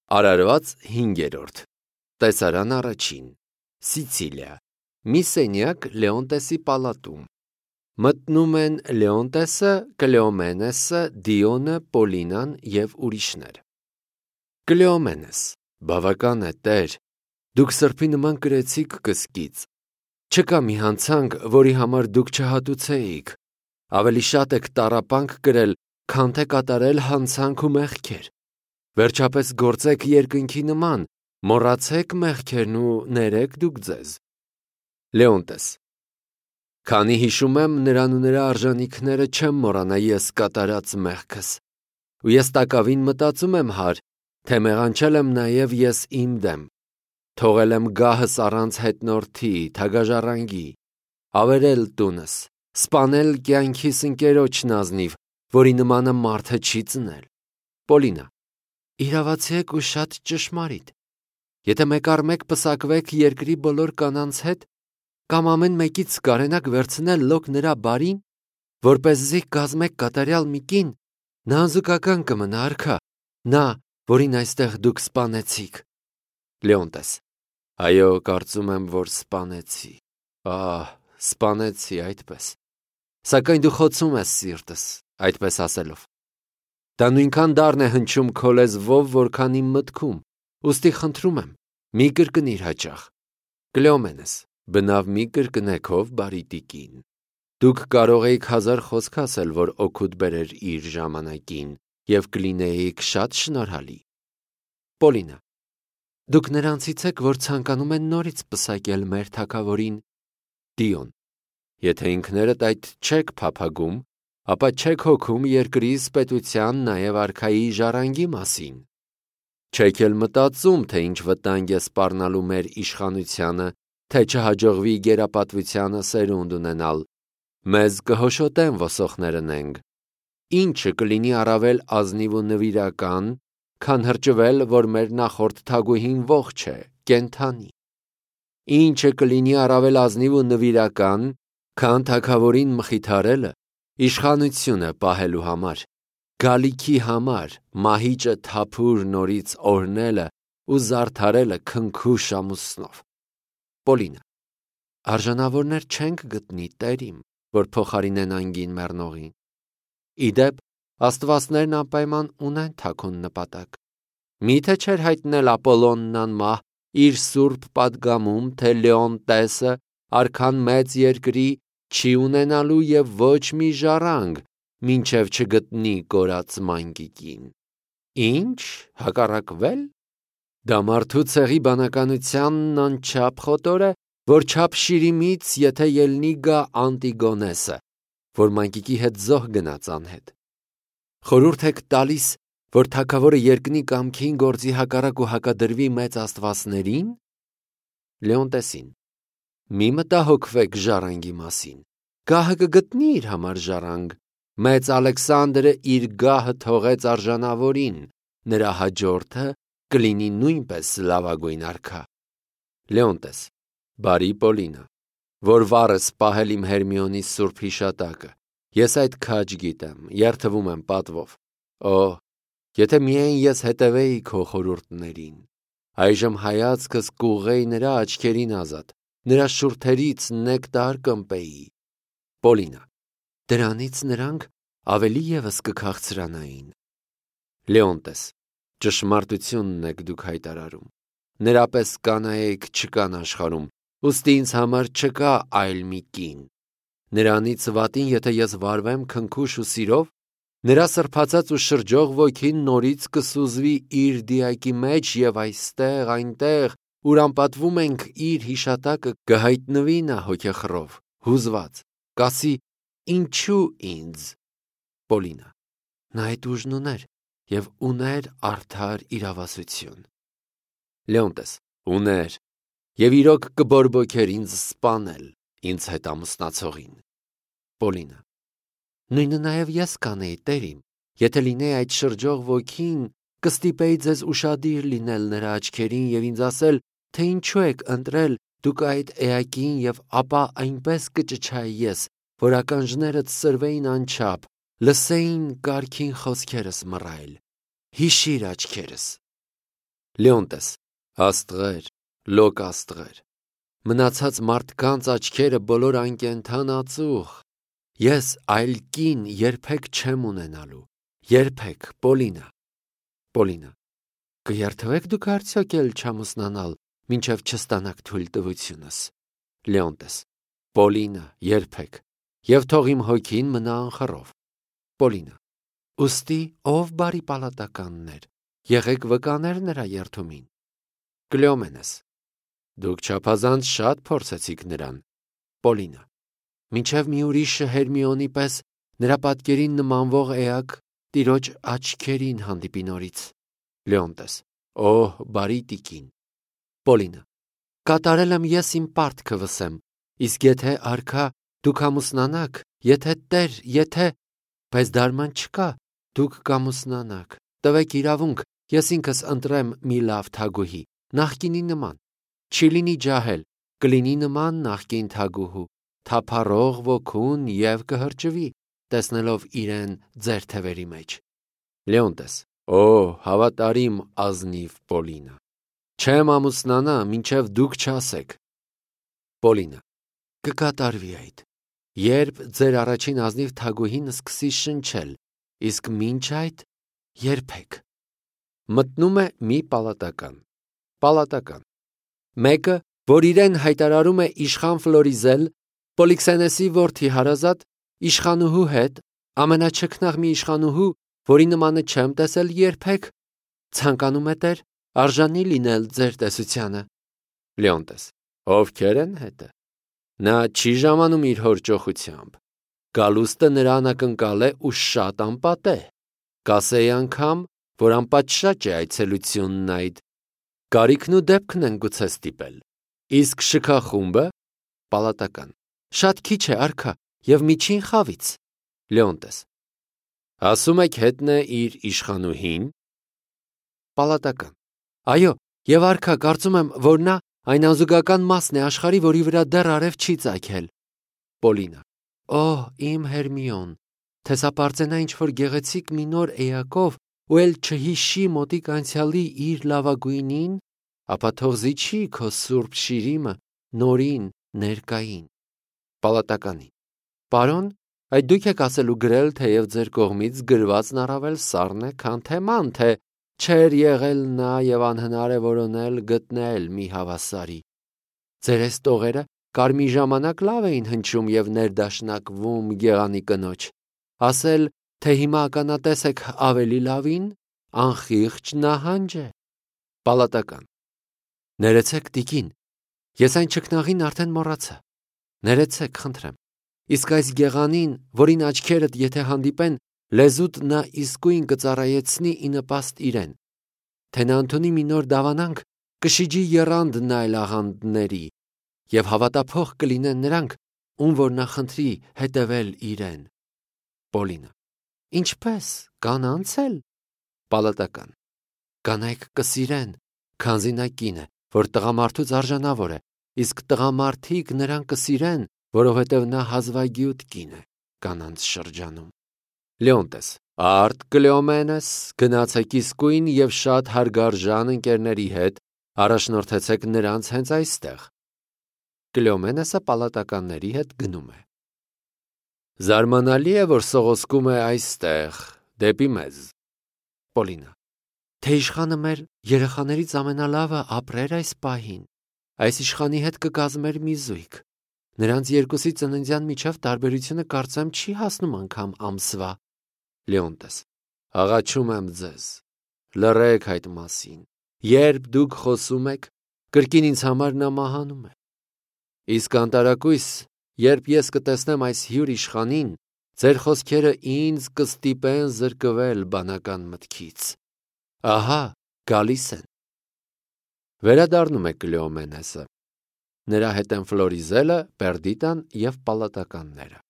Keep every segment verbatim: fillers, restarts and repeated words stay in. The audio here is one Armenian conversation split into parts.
Արարված հինգերորդ Տեսարան առաջին Սիցիլիա Մի սենյակ Լեոնտեսի պալատում Մտնում են Լեոնտեսը, Կլեոմենեսը, Դիոնը, Պոլինան և ուրիշներ։ Կլեոմենես, բավական է, Տեր, դուք սրբի նման կրեցիք կսկից։ Չկա մի հանցանք, որի համար դուք չհատուցեիք։ Ավելի շատ եք տառապանք կրել, քան թե կատարել հանցանք ու մեղքեր։ Վերջապես գործեք երկնքի նման, մոռացեք մեղքերն ու ներեք դուք ձեզ։ Լեոնտես Քանի հիշում եմ նրան ու նրա արժանիքները, չեմ մոռանա ես կատարած մեղքս։ Ու ես տակավին մտածում եմ հար, թե մեղանչել եմ նաև ես իմ դեմ։ Թողել եմ գահս առանց հետնորդի, թագաժառանգի, ավերել տունս, սպանել կյանքիս ընկերոջն ազնիվ, որի նմանը մարդը չի ծնել։ Պոլինա Իրավացի եք ու շատ ճշմարիտ։ Եթե մեկ առ մեկ պսակվեք երկրի բոլոր կանանց հետ, կամ ամեն մեկից կարենաք վերցնել լոկ նրա բարին, որպեսզի կազմեք կատարյալ մի կին, նա անզուգական կմնա արքա, նա, որին այստեղ դուք սպանեցիք։ Լեոնտես Այո, կարծում եմ, որ սպանեցի։ Ահ, սպանեցի այդպես։ Սակայն դու խոցում ես սիրտս, այդպես ասելով։ Դա նույնքան դառն է հնչում քո լեզվով, որքան իմ մտքում, ուստի խնդրում եմ, մի կրկնիր հաճախ։ Կլեոմենես Բնավ մի կրկնեք ով բարի տիկին։ Դուք կարող էիք հազար խոսք ասել, որ օգուտ բերեր իր ժամանակին, և կլինեիք շատ շնորհալի։ Պոլինա Դուք նրանցից եք, որ ցանկանում են նորից պսակել մեր թագավորին։ Դիոն Եթե ինքներդ այդ չեք փափագում, ապա չեք հոգում երկրից պետության, նաև արքայի ժառանգի մասին։ Չեք էլ մտածում, թե ինչ վտանգ է սպառնալու մեր իշխանությանը, թե չհաջողվի գերապատվությանը սերունդ ունենալ, մեզ կհոշոտեն ոսոխները նենք։ Ինչը կլինի առավել ազնիվ ու նվիրական, քան հրճվել, որ մեր նախորդ թագուհին ողջ է, կենդանի։ Ինչը կլինի առավել ազնիվ ու նվիրական, քան թագավորին մխիթարելը, իշխանությունը պահելու համար, գալիքի համար, մահիճը թափուր նորից օրհնելը ու զարդարելը քնքուշ ամուսնով։ Պոլինա Արժանավորներ չենք գտնի, Տեր իմ, որ փոխարինեն անգին մեռնողին։ Իդեպ, աստվածներն անպայման ունեն թաքուն նպատակ։ Միթե չէր հայտնել Ապոլոնն անմահ իր սուրբ պատգամում, թե Լեոնտեսը արքան մեծ երկրի չի ունենալու և ոչ մի ժառանգ, մինչև չգտնի կորած մանկիկին։ Ինչ, հակառակվել։ Դա մարդու ցեղի բանականությանն անչափ խոտոր է, որ չափ շիրիմից, եթե ելնի գա Անտիգոնեսը, որ մանկիկի հետ զոհ գնաց անհետ։ Խորհուրդ եք տալիս, որ թագավորը երկնի կամքին գործի հակառակ ու հակադրվի մեծ աստվածներին։ Լեոնտեսին Մի մտահոգվեք ժառանգի մասին, գահը կգտնի իր համար ժառանգ։ Մեծ Ալեքսանդրը իր գահը թողեց արժանավորին, նրա հաջորդը կլինի նույնպես լավագույն արքա։ Լեոնտես Բարի Պոլինա, որ վառս պահել իմ Հերմիոնի սուրբ հիշատակը, ես այդ քաջ գիտեմ, երդվում եմ պատվով։ Օ, եթե միայն ես հետևեի քո խորհուրդներին, այժմ հայացքս կուղղեի նրա աչքերին ազատ, նրա շուրթերից նեկտար կըմպեի։ Պոլինա Դրանից նրանք ավելի ևս կքաղցրանային։ Լեոնտես Ճշմարտությունն եք դուք հայտարարում։ Նրա պես կանայք չկան աշխարհում, ուստի ինձ համար չկա այլ մի կին։ Նրանից վատին, եթե ես վարվեմ քնքուշ ու սիրով, նրա սրբացած ու շրջող ոգին նորից կսուզվի իր դիակի մեջ, և այստեղ, այնտեղ, ուր անպատվում ենք իր հիշատակը, կհայտնվի նա հոգեխռով, հուզված, կասի. Ինչու ինձ։ Պոլինա Նա այդ ուժն ուներ և ուներ արդար իրավասություն։ Լեոնտես Ուներ և իրոք կբորբոքեր ինձ սպանել, ինձ հետ ամուսնացողին։ Պոլինա Նույնը նաև ես կանեի, Տեր իմ, եթե լինեի այդ շրջող ոգին, կստիպեի ձեզ ուշադիր լինել նրա աչքերին և ինձ ասել, թե ինչու եք ընտրել դուք այդ էակին, և ապա այնպես կճչայի ես, որ ականջներդ սրվեին անչափ, լսեին կարգին խոսքերս մռայլ։ Հիշիր աչքերս։ Լեոնտես, աստղեր, լոկ աստղեր, մնացած մարդկանց աչքերը բոլոր անկենդան ածուխ, ես այլ կին երբեք չեմ ունենալու, երբեք, Պոլինա, Պոլինա, կերթվեք դուք արդյոք էլ չամուսնանալ, մինչև չստանաք թույլտվությունս, Լեոնտես, Պոլինա, երբեք, և թող իմ հոգին մնա անխռով, Պոլինա, ուստի ով բարի պալատականներ, եղեք վկաներ նրա երդումին, Կլեոմենես, դուք չափազանց շատ փորձեցիք նրան, Պոլինա, մինչև մի ուրիշը Հերմիոնի պես նրա պատկերին նմանվող էակ տիրոջ աչքերին հանդիպի նորից, Լեոնտես, օհ, բարի տիկին, Պոլինա, կատարել եմ ես իմ պարտքը վսեմ, իսկ եթե արքա դուք ամուսնանաք, եթե տեր, եթե, բայց դարման չկա, դուք կամուսնանաք, տվեք իրավունք, ես ինքս ընտրեմ մի լավ թագուհի, նախկինի նման, չի լինի ջահել, կլինի նման նախկին թագուհու, թափառող ոգուն և կհրճվի, տեսնելով իրեն ձեր թևերի մեջ, Լեոնտես, օ, հավատարիմ ազնիվ Պոլինա, չեմ ամուսնանա, մինչև դուք չասեք, Պոլինա, կկատարվի այդ, երբ ձեր առաջին ազնիվ թագուհին սկսի շնչել, իսկ մինչ այդ երբեք, մտնում է մի պալատական, պալատական, մեկը, որ իրեն հայտարարում է իշխան Ֆլորիզել, Պոլիքսենեսի որդի հարազատ, իշխանուհու հետ, ամենաչքնաղ մի իշխանուհու, որի նմանը չեմ տեսել երբեք, ցանկանում է տեր, արժանի լինել ձեր տեսությանը, Լեոնտես, ովքեր են հետը, նա չի ժամանում իր հոր ճոխությամբ, գալուստը նրա անակնկալ է ու շատ անպատե, կասեի անգամ, որ անպատշաճ է այցելությունն այդ, կարիքն ու դեպքն են գուցե ստիպել, իսկ շքախումբը, պալատական, շատ քիչ է արքա և միջին խավից, Լեոնտես, ասում եք հետն է իր իշխանուհին, պալատական, այո, և արքա կարծում եմ, որ նա այն անզուգական մասն է աշխարհի, որի վրա դեռ արև չի ծագել, Պոլինա, օհ, իմ Հերմիոն, թեսապարծենա ինչ-որ գեղեցիկ մի նոր էակով ու էլ չհիշի մոտիկ անցյալի իր լավագույնին, ապա թող զիջի քո սուրբ շիրիմը նորին, ներկային, պալատականին, պարոն, այդ դուք եք ասել ու գրել, թեև ձեր կողմից գրվածն առավել սառն է, քան թեման, թե չէր եղել նա և անհնար է որոնել գտնել մի հավասարի, ձեր այս տողերը կարմի ժամանակ լավ էին հնչում և ներդաշնակվում գեղանի կնոջ, ասել, թե հիմա ականատես եք ավելի լավին, անխիղճ նահանջ է, պալատական, ներեցեք տիկին, ես այն չքնաղին արդեն մոռացա, ներեցեք, խնդրեմ, իսկ այս գեղանին, որին աչքերդ եթե հանդիպեն, լեզուդ նա իսկույն կծառայեցնի ի նպաստ իրեն, թե նա ընդունի մի նոր դավանանք, կշիջի եռանդն այլ աղանդների, և հավատափող կլինեն նրանք, ում որ նա խնդրի հետևել իրեն, Պոլինա, ինչպես, կանանց էլ, պալատական, կանայք կսիրեն, քանզի նա կին է, որ տղամարդուց արժանավոր է, իսկ տղամարդիկ նրան կսիրեն, որովհետև նա հազվագյուտ կին է, կանանց շրջանում, Լեոնտես, արդ Կլեոմենես, գնացեք իսկույն և շատ հարգարժան ընկերների հետ, առաջնորդեցեք նրանց հենց այստեղ, Կլեոմենեսը պալատականների հետ գնում է, զարմանալի է, որ սողոսկում է այստեղ, դեպի մեզ, Պոլինա, թե իշխանը մեր երեխաներից ամենալավը ապրեր այս պահին, այս իշխանի հետ կկազմեր մի զույգ, նրանց երկուսի ծննդյան միջև տարբերությունը կարծեմ չի հասնում անգամ ամսվա, Լեոնտես, աղաչում եմ ձեզ, լռեք այդ մասին, երբ դուք խոսում եք, կրկին ինձ համար նա մահանում է, իսկ անտարակույս, երբ ես կտեսնեմ այս հյուր իշխանին, ձեր խոսքերը ինձ կստիպեն զրկվել բանական մտքից, ահա, գալիս են, վերադառնում է Կլեոմենեսը, նրա հետ են Ֆլորիզելը, Պերդիտան և պալատականները,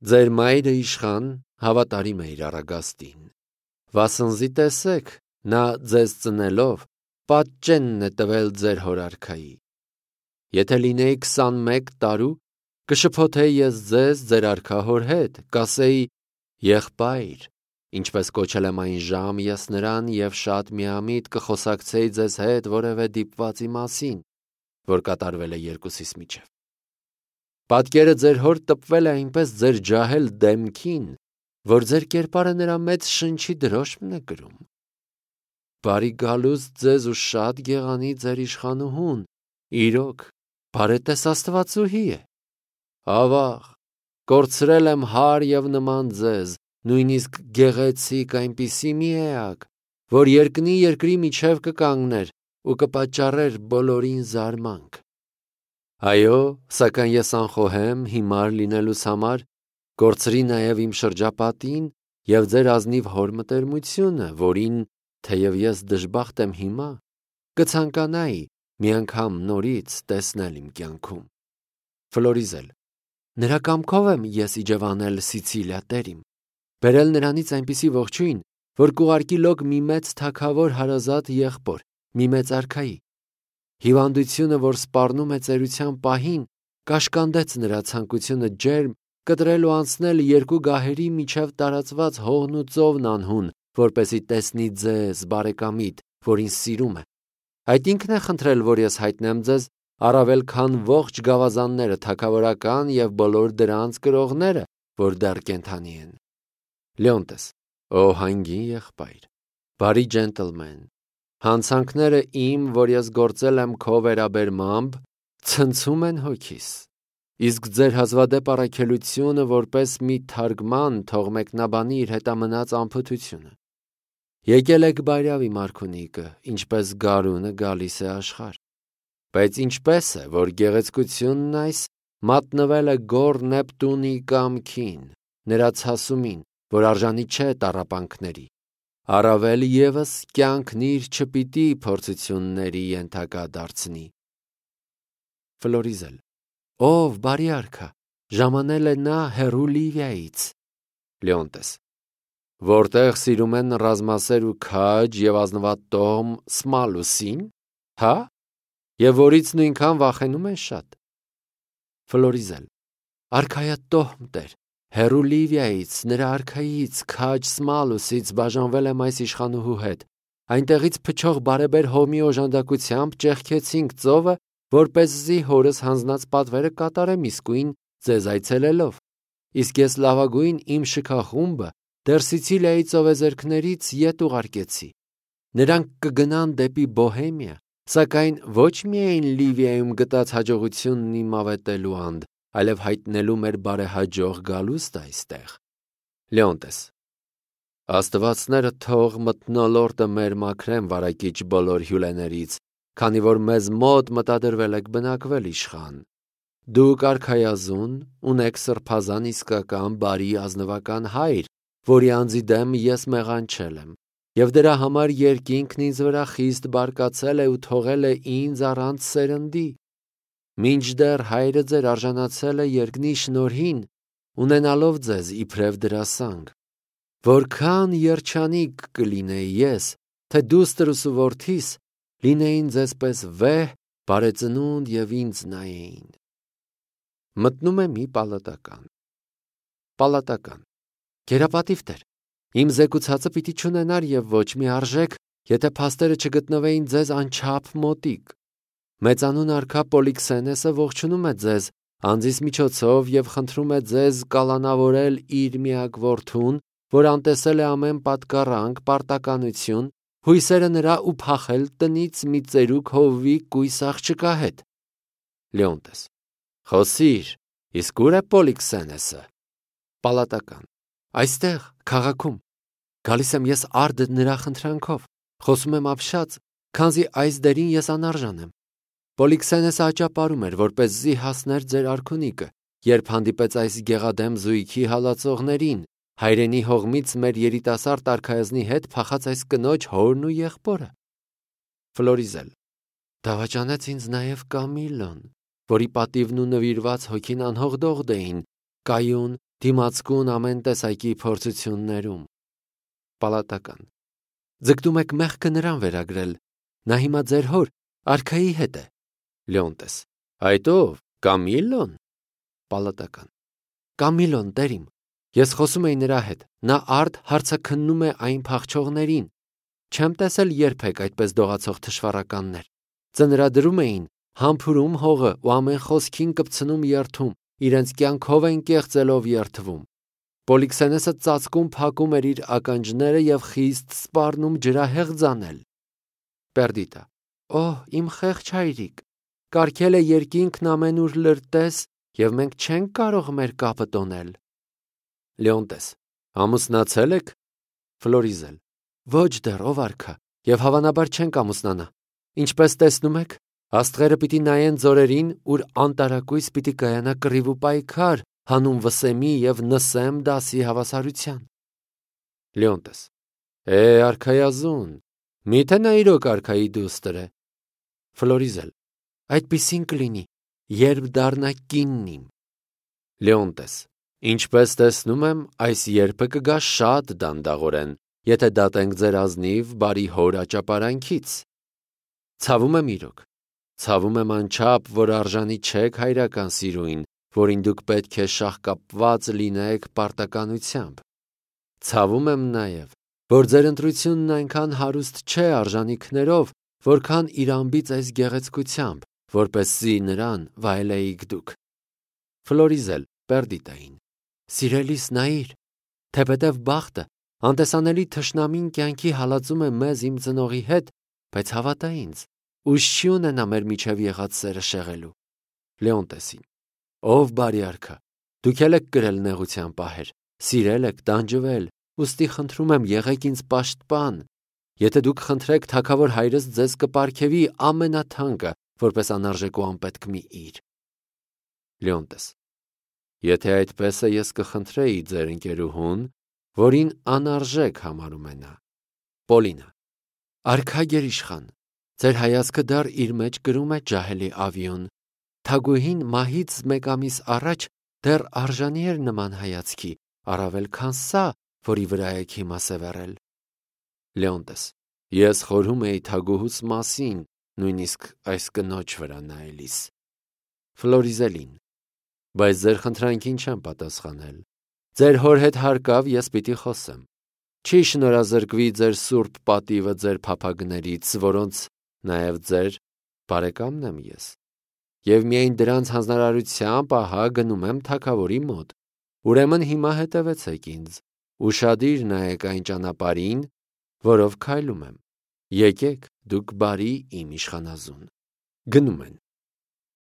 ձեր մայրը իշխան հավատարիմ է իր առագաստին, վասնզի տեսեք, նա ձեզ ծնելով, պատճենն է տվել ձեր հոր արքայի, եթե լինեի քսանմեկ տարու, կշփոթեի ես ձեզ ձեր արքա հոր հետ, կասեի, եղբայր, Ինչպես կոչել եմ այն ժամ ես նրան և շատ միամիտ կխոսակցեի ձեզ հետ որևէ դիպվածի մասին, որ կատարվել է երկուսիս միջև։ Պատկերը ձեր հոր տպվել է այնպես ձեր ջահել դեմքին, որ ձեր կերպարը նրա մեծ շնչի դրոշմն է կրում։ Բարի գալուստ ձեզ ու շատ գեղանի ձեր իշխանուհուն, իրոք, բարետես Աստվածուհի է։ Ավաղ, կորցրել եմ հար և նման ձեզ, նույնիսկ գեղեցիկ այնպիսի մի էակ, որ երկնի երկրի միջև կկանգներ ու կպատճառեր բոլորին զարմանք։ Այո, սակայն ես անխոհեմ հիմար լինելուս համար, կորցրի նաև իմ շրջապատին և ձեր ազնիվ հոր մտերմությունը, որին, թեև ես դժբախտ եմ հիմա, կցանկանայի մի անգամ նորից տեսնել իմ կյանքում։ Ֆլորիզել. Նրա կամքով եմ ես իջևանել Սիցիլիա տերիմ, բերել նրանից այնպիսի ողջույն, որ կուղարկի լոկ մի մեծ թագավոր հարազատ եղբոր, մի մեծ արքայի։ Հիվանդությունը, որ սպառնում է ծերության պահին, կաշկանդեց նրա ցանկությունը ջերմ կտրել ու անցնել երկու գահերի միջև տարածված հողն ու ծովն անհուն, որպեսի տեսնի ձեզ, բարեկամիտ, որին սիրում է։ Այդ ինքն է խնդրել, որ ես հայտնեմ ձեզ, առավել քան ողջ գավազանները, թագավորական և բոլոր դրանց կրողները, որ դեռ կենդանի են։ Լեոնտես. Օ հանգին եղբայր, բարի ջենտլմեն, հանցանքները իմ, որ ես գործել եմ քո վերաբերմամբ, ցնցում են հոգիս, իսկ ձեր հազվադեպ առաքելությունը որպես մի թարգման թող մեկնաբանի իր հետամնաց անփութությունը։ Եկել եք բայրավի Մարքունիկը, ինչպես գարունը գալիս է աշխարհ, բայց ինչպես է, որ գեղեցկությունն այս մատնվել է գոռ Նեպտունի կամքին, նրա ցասումին, որ արժանի չէ տառապանքների, առավել ևս կյանքն իր չպիտի փորձությունների ենթակա դարձնի։ Ֆլորիզել. Ով բարի արքա, ժամանել է նա հեռու Լիվիայից։ Լեոնտես. որտեղ սիրում են ռազմասեր ու քաջ և ազնվատոհմ Սմալուսին, հա, և որից նույնքան վախենում են շատ։ Ֆլորիզել. արքայատոհմ տեր, հեռու Լիվիայից, նրա արքայից, քաջ Սմալուսից բաժանվել եմ այս իշխանուհու հետ, այնտեղից փչող բարեբեր հոմի օժանդակությամբ ճեղքեցինք ծովը, որպեսզի հորս հանձնած պատվերը կատարեմ իսկույն ձեզ այցելելով, իսկ ես լավագույն իմ շքախումբը դեռ Սիցիլիայի ծովեզերքներից ետ ուղարկեցի։ Նրանք կգնան դեպի Բոհեմիա, սակայն ոչ միայն Լիվիայում գտած հաջողությունն իմ ավետելու անդ, այլև հայտնելու մեր բարեհաջող գալուստը այստեղ։ Լեոնտես. Աստվածները թող մթնոլորտը մեր մաքրեն վարակիչ բոլոր հյուլեներից, քանի որ մեզ մոտ մտադրվել եք բնակվել իշխան։ Դուք արքայազուն, ունեք սրբազան իսկական բարի ազնվական հայր, որի անձի դեմ ես մեղանչել եմ, և դրա համար երկինքն ինձ վրա խիստ բարկացել է ու թողել է ինձ առանց սերնդի։ Մինչդեռ հայրը ձեր արժանացել է երկնի շնորհին, ունենալով ձեզ իբրև դրասանգ։ Որքան երջանիկ կլինեի ես, թե դուստրս ու որդիս լինեին ձեզպես վեհ, բարեծնունդ և ինձ նայեին։ Մտնում է մի պալատական։ Պալատական. Գերապատիվ տեր, իմ զեկուցածը պիտի չունենար և ոչ մի արժեք, եթե փաստերը չգտնվեին ձեզ անչափ մոտիկ։ Մեծանուն արքա Պոլիքսենեսը ողջունում է ձեզ անձիս միջոցով և խնդրում է ձեզ կալանավորել իր միակ որդուն, որ անտեսել է ամեն պատկառանք, պարտականություն, հույսերը նրա ու փախել տնից մի ծերուկ հովվի կույս աղջկա հետ։ Լեոնտես. Խոսիր, իսկ ուր է Պոլիքսենեսը։ Պալատական. Այստեղ, քաղաքում։ Գալիս եմ ես արդ նրա խնդրանքով, խոսում եմ ապշած, քանզի այս դերին ես անարժան եմ։ Պոլիքսենեսը աճապարում էր, որպեսզի հասներ ձեր արքունիկը, երբ հանդիպեց այս գեղադեմ զույգի հալածողներին, հայրենի հողմից մեր երիտասարդ արքայազնի հետ փախած այս կնոջ հորն ու եղբորը։ Ֆլորիզել. Դավաճանեց ինձ նաև Կամիլոն, որի պատիվն ու նվիրված հոգին անհողդողդ էին, կայուն, դիմացկուն ամեն տեսակի փորձություններում։ Պալատական. ձգտում եք մեղքը նրան վերագրել, նա հիմա ձեր հոր, արքայի հետ է։ Լեոնտես. այդ ով, Կամիլոն։ Պալատական. Կամիլոն տերիմ, Ես խոսում էի նրա հետ, նա արդ հարցը քննում է այն փախչողներին։ Չեմ տեսել երբեք այդպես դողացող թշվառականներ։ Ծնրադրում էին, համբուրում հողը ու ամեն խոսքին կպցնում երթում, իրենց կյանքով են կեղծելով երթվում։ Պոլիքսենեսը ծածկում փակում էր իր ականջները եւ խիստ սպառնում ջրահեղ ձանել։ Պերդիտա. Օհ, իմ խեղճ հայրիկ, կարգել է երկինքն ամենուր լրտես, եւ մենք չենք կարող մեր կապը տոնել։ Լեոնտես. ամուսնացել եք։ Ֆլորիզել. ոչ դեռ, ով արքա, եւ հավանաբար չենք ամուսնանա։ Ինչպես տեսնում եք, աստղերը պիտի նայեն ձորերին, ուր անտարակույս պիտի կայանա կռիվ ու պայքար, հանուն Վսեմի եւ Նսեմ դասի հավասարության։ Լեոնտես. Է, արքայազուն, միթե նա իրոք արքայի դուստր է։ Ֆլորիզել. այդպիսին կլինի, երբ դառնա կինն իմ։ Լեոնտես. ինչպես տեսնում եմ, այս երբը կգա շատ դանդաղորեն, եթե դատենք ձեր ազնիվ բարի հոր աճապարանքից։ Ցավում եմ իրոք, ցավում եմ անչափ, որ արժանի չեք հայրական սիրուին, որին դուք պետք է շաղկապված լինեք պարտականությամբ։ Ցավում եմ նաև, որ ձեր ընտրությունն այնքան հարուստ չէ արժանիքներով, որքան իր ամբից այս գեղեցկությամբ, որպեսզի նրան վայելեիք դուք։ Ֆլորիզել Պերդիտային. Սիրելիս նայիր, թեպետև բախտը, անտեսանելի թշնամին կյանքի հալածում է մեզ իմ ծնողի հետ, բայց հավատա ինձ, ուժ չի ունենա մեր միջև եղած սերը շեղելու։ Լեոնտեսին. ով բարի արքա, դուք էլ եք կրել նեղության պահեր, սիրել եք, տանջվել, ուստի խնդրում եմ եղեք ինձ պաշտպան։ Եթե դուք խնդրեք, թագավոր հայրս ձեզ կպարգևի ամենաթանկը, որպես անարժեք ու անպետք մի իր։ Լեոնտես. եթե այդպես է, ես կխնդրեի ձեր ընկերուհուն, որին անարժեք համարում է նա։ Պոլինա. արքա գերիշխան, ձեր հայացքը դեռ իր մեջ կրում է ջահելի ավիոն։ Թագուհին մահից մեկ ամիս առաջ դեռ արժանի էր նման հայացքի, առավել քան սա, որի վրա եք հիմա սևեռել։ Լեոնտես. ես խորհում էի թագուհուս մասին, նույնիսկ այս կնոջ վրա նայելիս։ Ֆլորիզելին. բայց ձեր խնդրանքին չեմ պատասխանել։ Ձեր հոր հետ հարկավ ես պիտի խոսեմ։ Չի շնորհազրկվի ձեր սուրբ պատիվը ձեր փափագներից, որոնց նաև ձեր բարեկամն եմ ես։ Եվ միայն դրանց հանձնարարությամբ ահա գնում եմ թագավորի մոտ։ Ուրեմն հիմա հետևեցեք ինձ, ուշադիր նայեք այն ճանապարհին, որով քայլում եմ։ Եկեք, դուք բարի իմ իշխանազուն։ Գնում են։